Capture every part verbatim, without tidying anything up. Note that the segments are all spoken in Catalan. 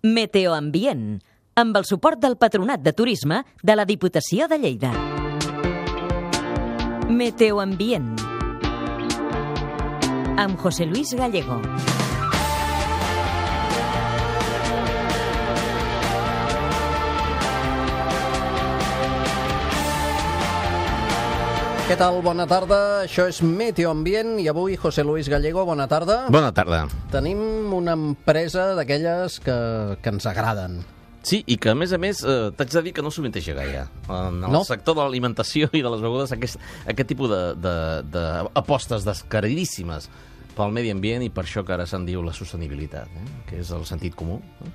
Meteoambient, amb el suport del Patronat de Turisme de la Diputació de Lleida. Meteoambient, amb José Luis Gallego. Què tal? Bona tarda. Això és Meteoambient i avui, José Luis Gallego, bona tarda. Bona tarda. Tenim una empresa d'aquelles que, que ens agraden. Sí, i que, a més a més, eh, t'haig de dir que no sovinteja gaire. En el No? sector de l'alimentació i de les begudes, aquest, aquest tipus d'apostes de, de, descaradíssimes pel medi ambient, i per això que ara se'n diu la sostenibilitat, eh? que és el sentit comú, eh?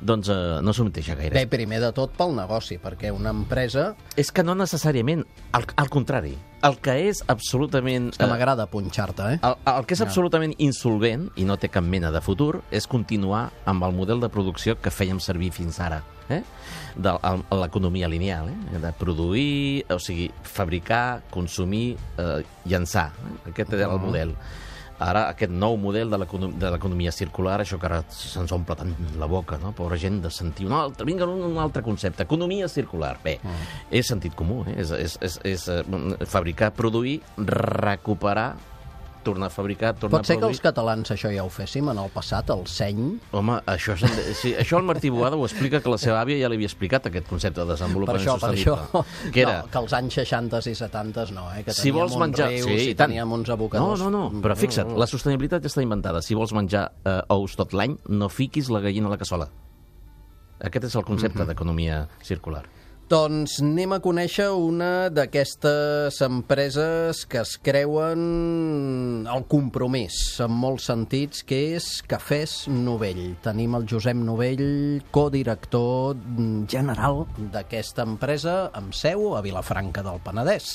doncs eh, no sovinteja gaire. Bé, primer de tot pel negoci, perquè una empresa... És que no necessàriament, al, al contrari. El que és absolutament... És que m'agrada punxar-te, eh? El, el que és absolutament insolvent i no té cap mena de futur és continuar amb el model de producció que fèiem servir fins ara, eh? de l'economia lineal, eh? de produir, o sigui, fabricar, consumir, eh, llançar. Eh? Aquest era el model. Ara, aquest nou model de l'economia circular, això que ara se'ns omple tant la boca, no? Pobra gent, de sentir un altre, vinga, un altre concepte, economia circular. Bé, mm. és sentit comú, eh? és, és, és, és uh, fabricar, produir, recuperar, tornar a fabricar, tornar Pot ser a produir. que els catalans això ja ho féssim en el passat, el seny? Home, això, sí, això el Martí Boada ho explica, que la seva àvia ja li havia explicat aquest concepte de desenvolupament per això, sostenible. Per això, que era... no, que els anys seixanta i setanta no, eh? que teníem si vols menjar... uns rius, sí, i teníem uns abocadors. No, no, no, però fixa't, la sostenibilitat ja està inventada. Si vols menjar eh, ous tot l'any, no fiquis la gallina a la cassola. Aquest és el concepte mm-hmm. d'economia circular. Doncs anem a conèixer una d'aquestes empreses que es creuen el compromís, en molts sentits, que és Cafès Novell. Tenim el Josep Novell, codirector general d'aquesta empresa, amb seu a Vilafranca del Penedès.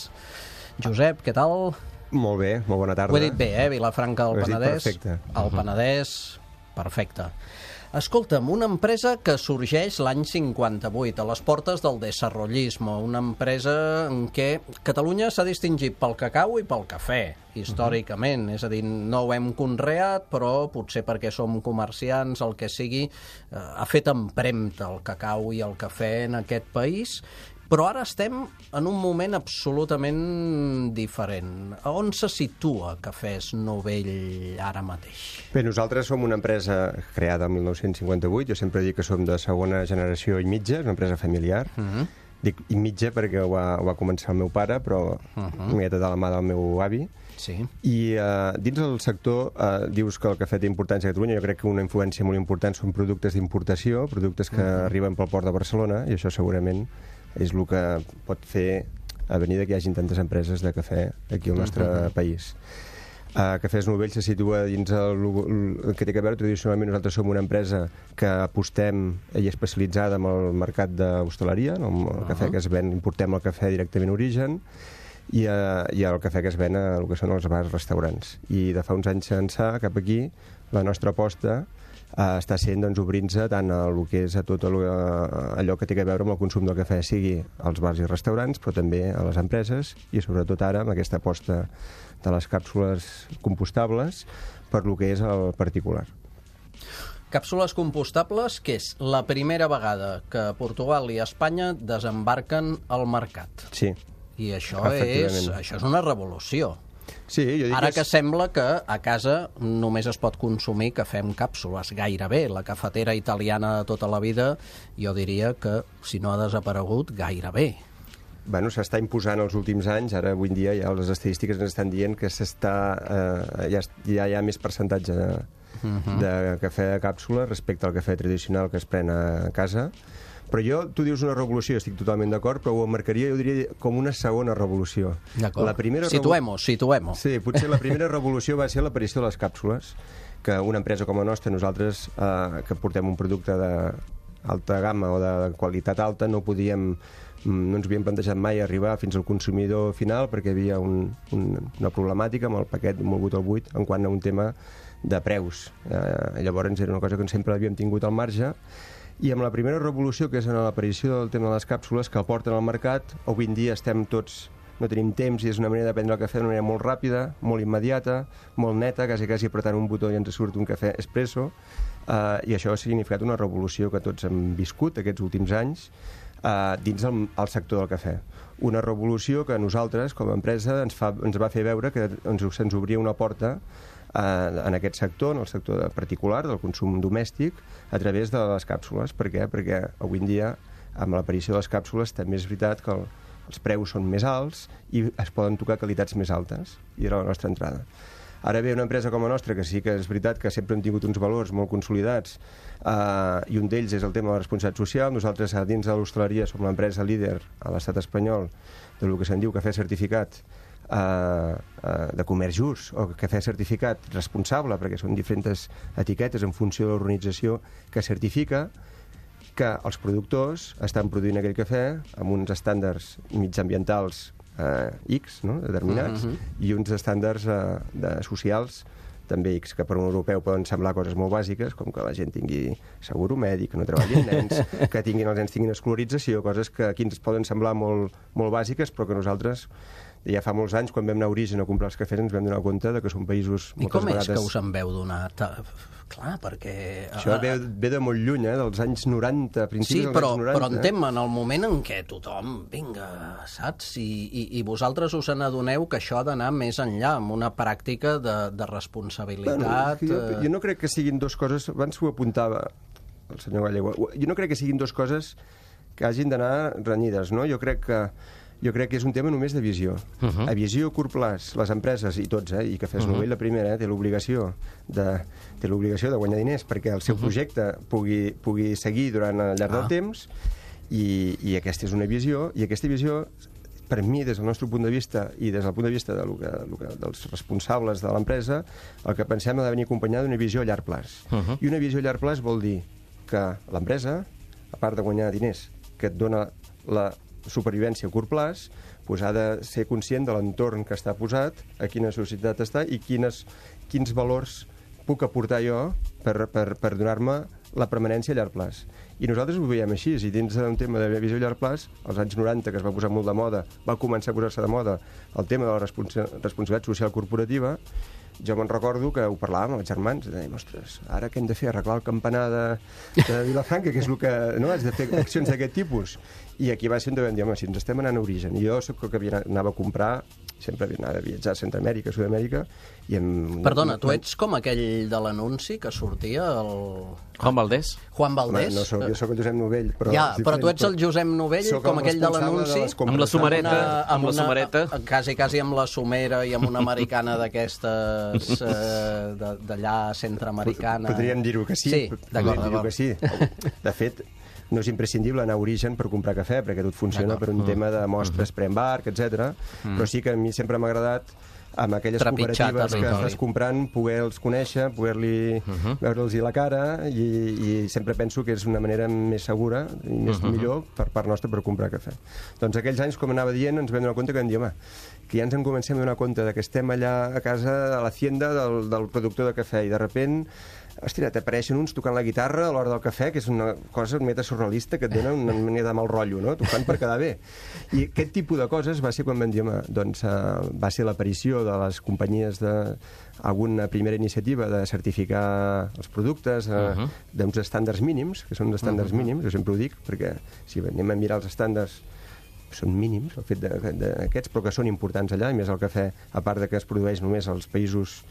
Josep, què tal? Molt bé, molt bona tarda. Ho he dit bé, eh? Vilafranca del Penedès. Perfecte. El Penedès, perfecte. Escolta'm, una empresa que sorgeix l'any cinquanta-vuit, a les portes del desarrollismo, una empresa en què Catalunya s'ha distingit pel cacau i pel cafè, històricament. Uh-huh. És a dir, no ho hem conreat, però potser perquè som comerciants, el que sigui, eh, ha fet empremta el cacau i el cafè en aquest país. Però ara estem en un moment absolutament diferent. A on se situa Cafès Novell ara mateix? Bé, nosaltres som una empresa creada el mil nou-cents cinquanta-vuit. Jo sempre dic que som de segona generació i mitja, és una empresa familiar. Uh-huh. Dic i mitja perquè ho va, ho va començar el meu pare, però uh-huh. una miqueta de la mà del meu avi. Sí. I uh, dins del sector uh, dius que el cafè té importància a Catalunya. Jo crec que una influència molt important són productes d'importació, productes que uh-huh. arriben pel port de Barcelona, i això segurament és el que pot fer a venir que hi hagin tantes empreses de cafè aquí al nostre uh-huh. país. Uh, Cafès Novell se situa dins el, el que té a veure. Tradicionalment nosaltres som una empresa que apostem i especialitzada en el mercat d'hostaleria, en el uh-huh. cafè que es ven, importem el cafè directament a origen, i, uh, i el cafè que es ven a el que són els bars, restaurants. I de fa uns anys ençà, cap aquí, la nostra aposta Uh, està sent doncs, obrint-se tant a el que és a tot el, uh, allò que té a veure amb el consum del cafè, sigui als bars i restaurants, però també a les empreses, i sobretot ara amb aquesta aposta de les càpsules compostables per lo que és el particular. Càpsules compostables, que és la primera vegada que Portugal i Espanya desembarquen al mercat. Sí. I això és, això és una revolució. Sí, jo dic Ara que, que és... sembla que a casa només es pot consumir cafè amb càpsules, gairebé. La cafetera italiana de tota la vida, jo diria que, si no ha desaparegut, gairebé. Bueno, s'està imposant els últims anys. Ara, avui en dia, ja les estadístiques ens estan dient que s'està, eh, ja, ja hi ha més percentatge de, uh-huh. de cafè de càpsula respecte al cafè tradicional que es pren a casa. Però jo, tu dius una revolució, estic totalment d'acord, però ho marcaria, jo diria, com una segona revolució. D'acord. Situem-ho, situem-ho. Sí, potser la primera revolució va ser l'aparició de les càpsules, que una empresa com la nostra, nosaltres, eh, que portem un producte d'alta gamma o de qualitat alta, no podíem, no ens havíem plantejat mai arribar fins al consumidor final, perquè hi havia un, un, una problemàtica amb el paquet molgut al buit en quant a un tema de preus. Eh, llavors era una cosa que sempre havíem tingut al marge. I amb la primera revolució, que és en l'aparició del tema de les càpsules, que el porten al mercat, avui en dia estem tots, no tenim temps, i és una manera de prendre el cafè d'una manera molt ràpida, molt immediata, molt neta, quasi, quasi apretant un botó i ens surt un cafè espresso, uh, i això ha significat una revolució que tots hem viscut aquests últims anys uh, dins el, el sector del cafè. Una revolució que nosaltres, com a empresa, ens, fa, ens va fer veure que ens, se'ns obria una porta uh, en aquest sector, en el sector de particular, del consum domèstic, a través de les càpsules. Per què? Perquè avui en dia, amb l'aparició de les càpsules, també és veritat que el, els preus són més alts i es poden tocar qualitats més altes, i era la nostra entrada. Ara ve una empresa com la nostra, que sí que és veritat que sempre hem tingut uns valors molt consolidats, eh, i un d'ells és el tema de la responsabilitat social. Nosaltres, dins de l'hostaleria, som l'empresa líder a l'estat espanyol de lo que se'n diu cafè certificat eh, eh, de comerç just, o cafè certificat responsable, perquè són diferents etiquetes en funció de l'organització que certifica que els productors estan produint aquell cafè amb uns estàndards mitjambientals eh, X, no?, determinats, uh-huh. i uns estàndards eh, de socials també X, que per un europeu poden semblar coses molt bàsiques, com que la gent tingui seguro mèdic, que no treballin nens, que tinguin, els nens tinguin escolarització, coses que aquí ens poden semblar molt, molt bàsiques, però que nosaltres ja fa molts anys, quan vam anar a Origen a comprar els cafès, ens vam donar compte de que són països... I com és que us en veu donar? Clar, perquè... Això ve, ve de molt lluny, eh? Dels anys noranta, principis sí, però, dels anys noranta. però entenc, en el moment en què tothom, vinga, saps? I, i, i vosaltres us n'adoneu que això ha d'anar més enllà, amb una pràctica de, de responsabilitat... Bueno, jo, jo no crec que siguin dues coses... Abans ho apuntava el senyor Gallego. Jo no crec que siguin dues coses que hagin d'anar renyides, no? Jo crec que... Jo crec que és un tema només de visió. Uh-huh. A visió a curt plaç, les empreses, i tots, eh, i Cafès uh-huh. Novell, la primera, eh, té l'obligació de, té l'obligació de guanyar diners perquè el seu uh-huh. projecte pugui, pugui seguir durant el llarg ah. del temps, i, i aquesta és una visió, i aquesta visió, per mi, des del nostre punt de vista i des del punt de vista de lo que, lo que, dels responsables de l'empresa, el que pensem ha de venir acompanyada d'una visió a llarg plaç. Uh-huh. I una visió a llarg plaç vol dir que l'empresa, a part de guanyar diners, que et dona la supervivència a curt plaç, pues ha de ser conscient de l'entorn que està posat, a quina societat està i quines, quins valors puc aportar jo per, per, per donar-me la permanència a llarg plaç. I nosaltres ho veiem així, i dins d'un tema de visió a llarg plaç, als anys noranta, que es va posar molt de moda, va començar a posar-se de moda el tema de la responsa responsabilitat social corporativa. Jo me'n recordo que ho parlàvem amb els germans, i dèiem, ostres, ara què hem de fer? Arreglar el campanar de, de Vilafranca, que és el que... No, has de fer accions d'aquest tipus. I aquí va ser on vam dir, home, si ens estem anant a Origen. I jo soc el que havia, anava a comprar, sempre anava a viatjar a Centroamèrica, a Sud-amèrica, i em... Perdona, tu ets com aquell de l'anunci que sortia el... Juan Valdés? Juan Valdés? Home, no soc, jo sóc el Josep Novell, però... Ja, però tu ets el Josep Novell, com aquell de l'anunci... Amb la sumareta, amb, una, amb la sumareta. Quasi, quasi amb la sumera i amb una americana d'aquestes eh, d'allà centroamericana. Podríem dir-ho que sí. Sí, d'acord, d'acord. Sí. De fet, no és imprescindible anar a Origen per comprar cafè, perquè tot funciona per un mm. tema de mostres mm. pre-embarc, etcètera. Mm. Però sí que a mi sempre m'ha agradat amb aquelles trepitjar cooperatives que estàs comprant, poder-los conèixer, poder-li uh-huh. veure-los la cara, i, i sempre penso que és una manera més segura i més uh-huh. millor per part nostra per comprar cafè. Doncs aquells anys, com anava dient, ens vam donar compte que vam dir, home, que ja ens en comencem a donar compte que estem allà a casa, a l'hacienda del, del productor de cafè, i de repent, hòstia, t'apareixen uns tocant la guitarra a l'hora del cafè, que és una cosa meta surrealista que et dona una manera de mal rotllo, no? T'ho fan per quedar bé. I aquest tipus de coses va ser quan vam dir, home, doncs uh, va ser l'aparició de les companyies de alguna primera iniciativa de certificar els productes uh, uh-huh. d'uns estàndards mínims, que són uns estàndards uh-huh. mínims, jo sempre ho dic, perquè si anem a mirar els estàndards són mínims, el fet d'aquests, però que són importants allà, i més el cafè, a part de que es produeix només als països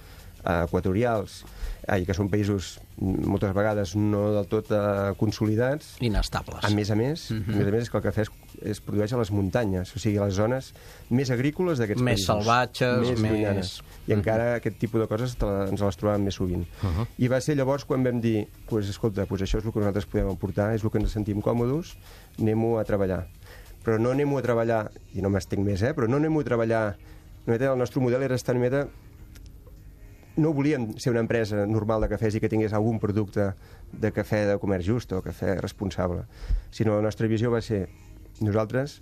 equatorials, eh, i que són països moltes vegades no del tot eh, consolidats. Inestables. A més a més, uh-huh. a més a més és que el cafè es, es produeix a les muntanyes, o sigui, a les zones més agrícoles d'aquests més països. Salvatges, més més... llunyanes. I uh-huh. encara aquest tipus de coses te la, ens les trobàvem més sovint. Uh-huh. I va ser llavors quan vam dir, pues, escolta, pues això és el que nosaltres podem aportar, és el que ens sentim còmodes, anem-ho a treballar. Però no anem-ho a treballar, i no m'estic més, eh, però no anem-ho a treballar... El nostre model era estar una mica... No volíem ser una empresa normal de cafès i que tingués algun producte de cafè de comerç just o cafè responsable, sinó la nostra visió va ser, nosaltres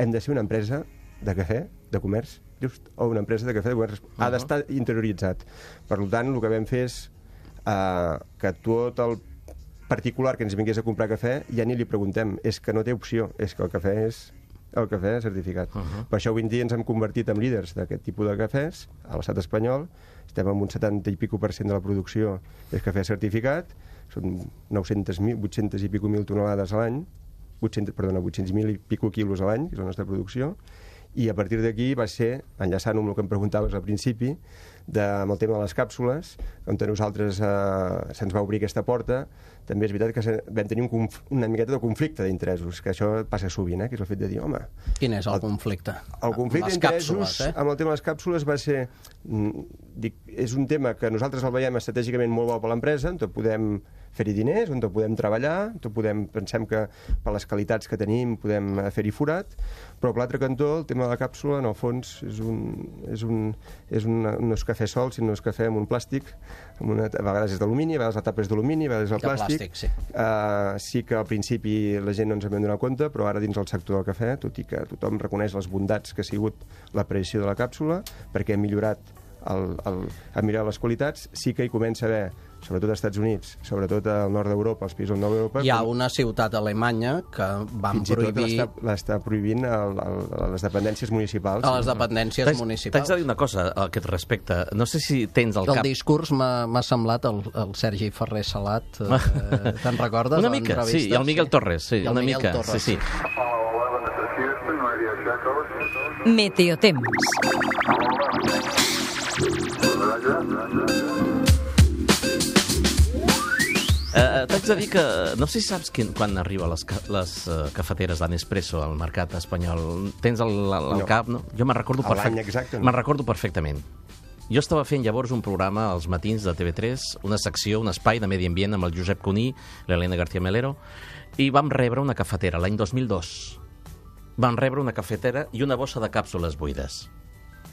hem de ser una empresa de cafè de comerç just, o una empresa de cafè de comerç. Uh-huh. Ha d'estar interioritzat. Per tant, el que vam fer és uh, que tot el particular que ens vingués a comprar cafè ja ni li preguntem, és que no té opció, és que el cafè és el cafè certificat. Uh-huh. Per això avui en dia ens hem convertit en líders d'aquest tipus de cafès a l'estat espanyol. Estem amb un setanta i pico per cent de la producció és cafè certificat. són nou-cents mil, vuit-cents i pico mil tonelades a l'any, vuit-cents, perdona, vuit-cents mil i pico quilos a l'any, que és la nostra producció, i a partir d'aquí va ser, enllaçant amb el que em preguntaves al principi, de, amb el tema de les càpsules, on a nosaltres eh, se'ns va obrir aquesta porta. També és veritat que se, vam tenir un una miqueta de conflicte d'interessos, que això passa sovint, eh, que és el fet de dir, home... Quin és el, el conflicte? El conflicte d'interessos eh? amb el tema de les càpsules va ser... Dic, és un tema que nosaltres el veiem estratègicament molt bo per l'empresa, on podem fer-hi diners, on podem treballar, on podem, pensem que per les qualitats que tenim podem fer-hi forat, però per l'altre cantó el tema de la càpsula, en el fons, és un, és un, és un, no és cafè sol, sinó és cafè amb un plàstic, amb una, a vegades és d'alumini, a vegades la tapa és d'alumini, a vegades és el plàstic. plàstic sí. Uh, sí que al principi la gent no ens en vam donar compte, però ara dins el sector del cafè, tot i que tothom reconeix les bondats que ha sigut l'aparició de la càpsula, perquè ha millorat el, el, ha millorat les qualitats, sí que hi comença a haver, sobretot als Estats Units, sobretot al nord d'Europa, als països del nord d'Europa... Hi ha una ciutat alemanya que van prohibir... Fins i tot l'està prohibint a, a, a les dependències municipals. A les dependències T'haig, municipals. T'haig de dir una cosa a aquest respecte. No sé si tens al cap... El discurs m'ha semblat el, el Sergi Ferrer Salat. Eh, Te'n recordes? Una mica, sí, i el Miguel sí. Torres. Sí, I el una Miguel mica, Torres. sí, sí. Meteotemps. Uh, T'haig de dir que no sé si saps quin, quan arriba les, ca les uh, cafeteres de Nespresso al mercat espanyol. Tens el, el, el no. cap, no? Jo me'n recordo, perfect... exacte, no? me'n recordo perfectament. Jo estava fent llavors un programa als matins de T V tres, una secció, un espai de medi ambient amb el Josep Cuní, l'Helena García Melero, i vam rebre una cafetera l'any dos mil dos. Vam rebre una cafetera i una bossa de càpsules buides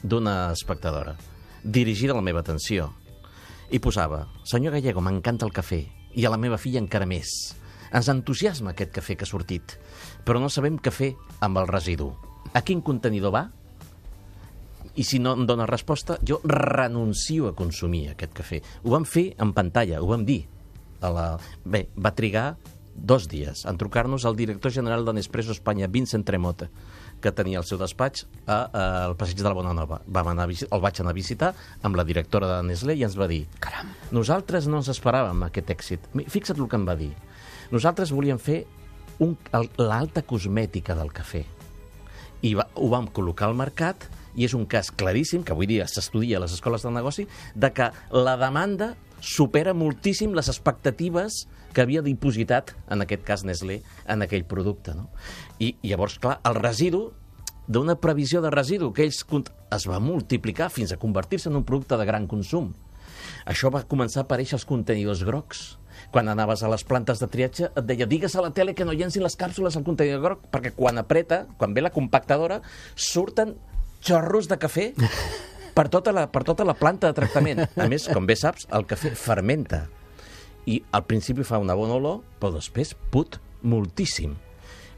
d'una espectadora, dirigida a la meva atenció. I posava, senyor Gallego, m'encanta el cafè, i a la meva filla encara més. Ens entusiasma aquest cafè que ha sortit, però no sabem què fer amb el residu. A quin contenidor va? I si no em dóna resposta, jo renuncio a consumir aquest cafè. Ho vam fer en pantalla, ho vam dir. A la... Bé, va trigar dos dies en trucar-nos al director general de Nespresso Espanya, Vincent Tremota, que tenia el seu despatx a, a, al passeig de la Bona Nova. Vam anar a visit, el vaig anar a visitar amb la directora de Nestlé i ens va dir, caram, nosaltres no ens esperàvem aquest èxit. Fixa't el que em va dir. Nosaltres volíem fer l'alta cosmètica del cafè. I va, ho vam col·locar al mercat i és un cas claríssim, que avui dia s'estudia a les escoles del negoci, de que la demanda supera moltíssim les expectatives que havia dipositat, en aquest cas Nestlé, en aquell producte. No? I, I llavors, clar, el residu, d'una previsió de residu que ells es va multiplicar fins a convertir-se en un producte de gran consum. Això va començar a aparèixer als contenidors grocs. Quan anaves a les plantes de triatge et deia, digues a la tele que no llencin les càpsules al contenidor groc, perquè quan apreta, quan ve la compactadora, surten xorros de cafè per tota la, per tota la planta de tractament. A més, com bé saps, el cafè fermenta. I al principi fa una bona olor, però després put moltíssim.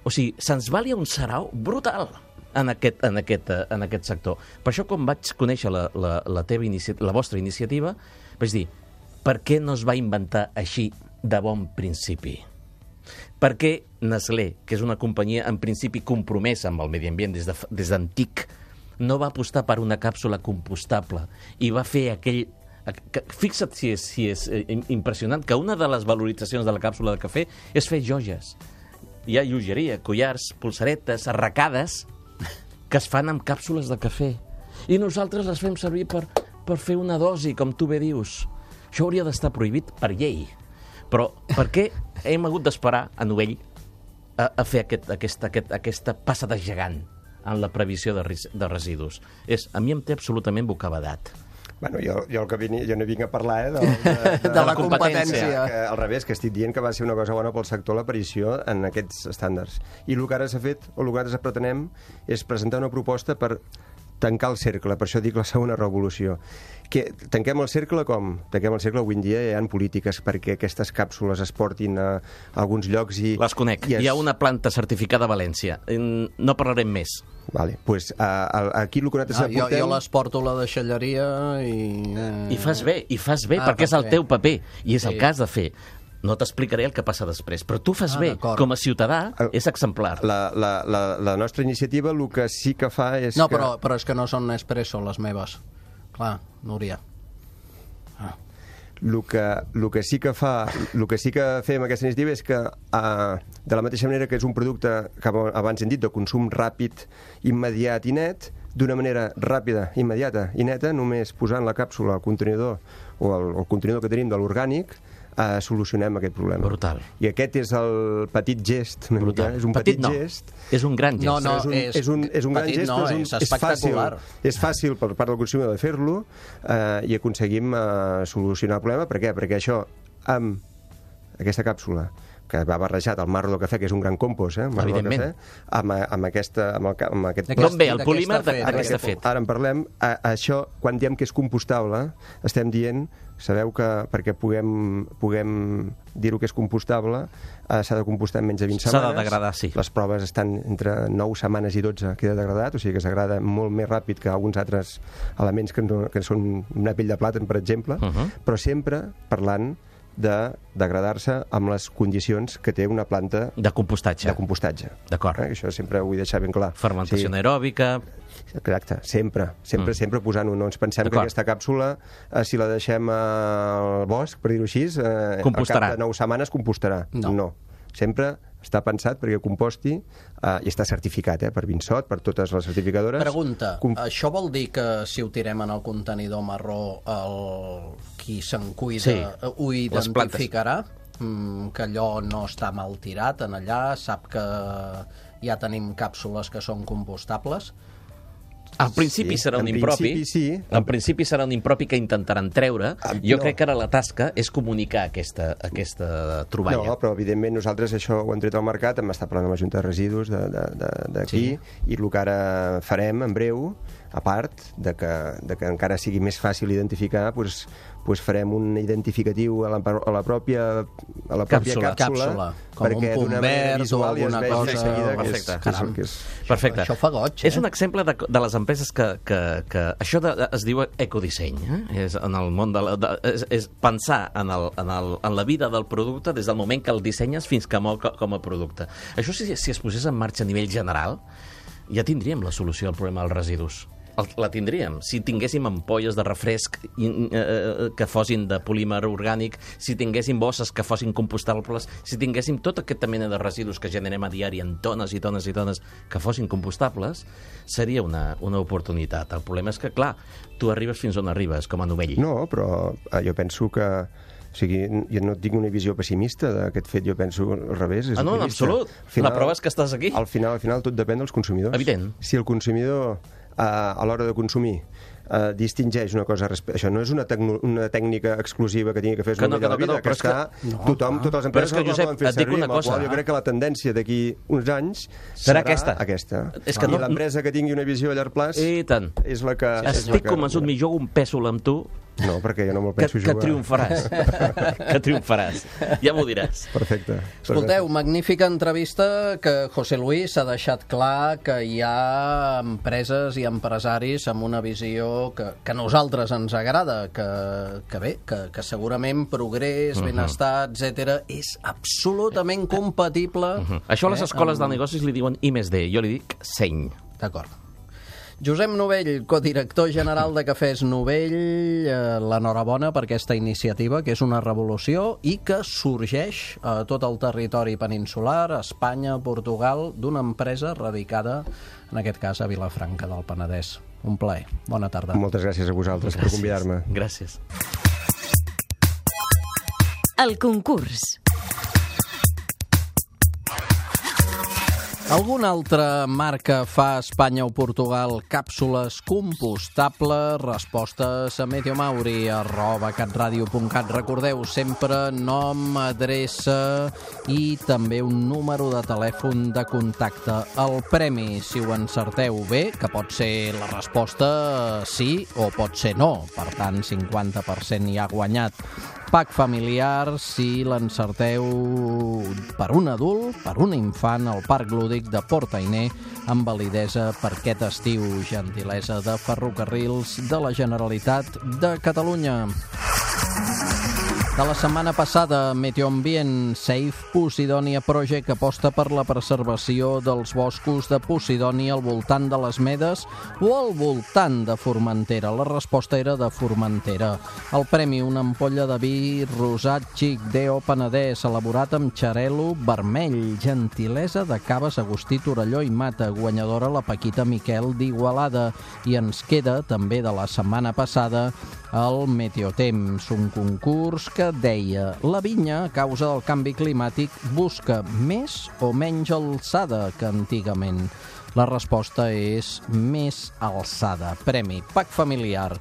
O sigui, se'ns valia un sarau brutal en aquest, en aquest, en aquest sector. Per això, quan vaig conèixer la, la, la, teva inici... la vostra iniciativa, vaig dir, per què no es va inventar així de bon principi? Per què Nestlé, que és una companyia en principi compromesa amb el medi ambient des, de, des d'antic, no va apostar per una càpsula compostable i va fer aquell... Fixa't si és, si és impressionant que una de les valoritzacions de la càpsula de cafè és fer joies. Hi ha llogeria, collars, pulseretes, arracades que es fan amb càpsules de cafè. I nosaltres les fem servir per, per fer una dosi, com tu bé dius. Això hauria d'estar prohibit per llei. Però per què hem hagut d'esperar a Novell a, a fer aquest, aquesta, aquest, aquesta passa de gegant en la previsió de, de residus? És, a mi em té absolutament bocabadat. Bueno, jo, jo, el que vini, jo no vinc a parlar eh, de, de, de, de, de la competència. Que, al revés, que estic dient que va ser una cosa bona pel sector l'aparició en aquests estàndards. I el que ara s'ha fet, o el que ara pretenem, és presentar una proposta per tancar el cercle, per això dic la segona revolució. Que tanquem el cercle com? Tanquem el cercle avui en dia hi ha polítiques perquè aquestes càpsules es portin a, a alguns llocs i... Les conec. I es... Hi ha una planta certificada a València. No parlarem més. Vale, pues, a, a, aquí el que nosaltres ah, aportem... Jo, jo les porto a la deixalleria i... I fas bé, i fas bé, ah, perquè és el bé. Teu paper, i és sí. El cas de fer. No t'explicaré el que passa després, però tu fas ah, bé. Com a ciutadà, és exemplar. La, la, la, la nostra iniciativa el que sí que fa és no, que... però, però és que no són Nespresso les meves. Clar, Núria. Ah. El que, el que sí que fa, el que sí que fem aquesta iniciativa és que, eh, de la mateixa manera que és un producte que abans hem dit de consum ràpid, immediat i net, d'una manera ràpida, immediata i neta, només posant la càpsula al contenidor o el, el contenidor que tenim de l'orgànic, eh, solucionem aquest problema. Brutal. I aquest és el petit gest, una mica, és un petit, petit no. gest. És un gran gest. No, no, és un, és, és un, és un gran petit, gest, no, però és, un, és espectacular. És fàcil, és fàcil per part del consumidor de fer-lo eh, i aconseguim eh, solucionar el problema. Per què? Perquè això, amb aquesta càpsula, que va barrejat al marro del cafè, que és un gran compost, eh, marro del cafè, amb, amb, aquesta, amb, el, amb aquest... D'on ve el polímer de fet, què està fet? Ara en parlem. A, a això, quan diem que és compostable, estem dient, sabeu que perquè puguem, puguem dir-ho que és compostable, eh, s'ha de compostar en menys de vint setmanes. S'ha de degradar, sí. Les proves estan entre nou setmanes i dotze, queda degradat, o sigui que es degrada molt més ràpid que alguns altres elements que, no, que són una pell de plàtan, per exemple, uh -huh. però sempre parlant de degradar-se amb les condicions que té una planta de compostatge. De compostatge. D'acord. Eh? Això sempre ho vull deixar ben clar. Fermentació sí. anaeròbica. Exacte, sempre, sempre, mm. sempre posant-ho. No ens pensem que aquesta càpsula, eh, si la deixem al bosc, per dir-ho així, eh, al cap de nou setmanes compostarà. No. no. Sempre està pensat perquè composti eh, i està certificat eh, per Vinsot, per totes les certificadores. Pregunta, Com... això vol dir que si ho tirem en el contenidor marró, el... qui se'n cuida sí. ho identificarà? Mm, que allò no està mal tirat en allà, sap que ja tenim càpsules que són compostables? Al principi sí, serà un en impropi, principi, sí. En principi serà un impropi que intentaran treure. Ah, jo no. crec que ara la tasca és comunicar aquesta, aquesta troballa. No, però evidentment nosaltres això ho hem tret al mercat, hem estat parlant amb la Junta de Residus d'aquí, sí. I el que ara farem en breu, a part de que, de que encara sigui més fàcil identificar, doncs, doncs farem un identificatiu a la, a la pròpia, a la pròpia càpsula, càpsula, càpsula. Com perquè un punt verd o alguna cosa. Seguida, perfecte. Que és, que és, que és... Perfecte. Això fa goig, eh? És un exemple de, de les empreses que... que, que això de, de, es diu ecodisseny, eh? És en el món de la, de, és, és pensar en, el, en, el, en la vida del producte des del moment que el dissenyes fins que mor com a producte. Això, si, si es posés en marxa a nivell general, ja tindríem la solució al problema dels residus. La tindríem. Si tinguéssim ampolles de refresc eh, que fossin de polímer orgànic, si tinguéssim bosses que fossin compostables, si tinguéssim tota aquesta mena de residus que generem a diari en tones i tones i tones que fossin compostables, seria una, una oportunitat. El problema és que, clar, tu arribes fins on arribes, com a novell. No, però eh, jo penso que o sigui, jo no tinc una visió pessimista d'aquest fet, jo penso al revés. És ah, no, en absolut. Final, la prova és que estàs aquí. Al final, al final tot depèn dels consumidors. Evident. Si el consumidor a l'hora de consumir uh, distingeix una cosa... Això no és una, una tècnica exclusiva que tingui que fer que no, que no, que no, que, que està... Que... No, tothom, totes les empreses que, Josep, poden fer servir, una cosa, jo crec que la tendència d'aquí uns anys serà, serà aquesta. aquesta. És que I no, l'empresa que tingui una visió a llarg plaç I tant. és la que... Sí, estic convençut, mi jugo un pèsol amb tu. No, perquè jo no me'l penso que, jugar. Que triomfaràs. que triomfaràs. Ja m'ho diràs. Perfecte. Escolteu, magnífica entrevista que José Luis ha deixat clar que hi ha empreses i empresaris amb una visió que, que a nosaltres ens agrada, que, que bé, que, que segurament progrés, uh -huh. benestar, etcètera és absolutament compatible. Uh -huh. Això a les escoles eh, amb... de negocis li diuen I més D, jo li dic seny. D'acord. Josep Novell, codirector general de Cafès Novell, eh, l'enhorabona per aquesta iniciativa, que és una revolució i que sorgeix a tot el territori peninsular, Espanya, Portugal, d'una empresa radicada, en aquest cas, a Vilafranca del Penedès. Un plaer. Bona tarda. Moltes gràcies a vosaltres gràcies. per convidar-me. Gràcies. El concurs. Alguna altra marca fa a Espanya o Portugal càpsules compostables? Respostes a mediomauri arroba catradio punt cat. Recordeu sempre nom, adreça i també un número de telèfon de contacte. El premi, si ho encerteu bé, que pot ser la resposta sí o pot ser no. Per tant, cinquanta per cent hi ha guanyat. Pack familiar, si l'encerteu per un adult, per un infant, al Parc Lúdic de Port-Ainé, amb validesa per aquest estiu. Gentilesa de Ferrocarrils de la Generalitat de Catalunya. De la setmana passada, Meteoambient Safe Posidònia Project aposta per la preservació dels boscos de Posidònia al voltant de les Medes o al voltant de Formentera. La resposta era de Formentera. El premi, una ampolla de vi rosat xic Deo Penedès, elaborat amb xarel·lo vermell, gentilesa de Caves Agustí Torelló i Mata, guanyadora la Paquita Miquel d'Igualada. I ens queda, també de la setmana passada, el Meteotemps, un concurs que deia: la vinya, a causa del canvi climàtic, busca més o menys alçada que antigament. La resposta és més alçada. Premi Pack familiar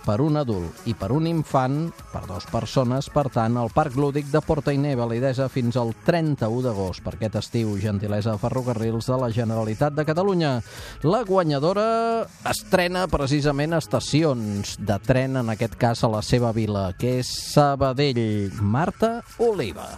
per un adult i per un infant, per dues persones, per tant, al Parc Lúdic de Port-Ainé, validesa fins al trenta-u d'agost per aquest estiu, gentilesa de Ferrocarrils de la Generalitat de Catalunya. La guanyadora estrena precisament estacions de tren, en aquest cas a la seva vila, que és Sabadell. Marta Oliva.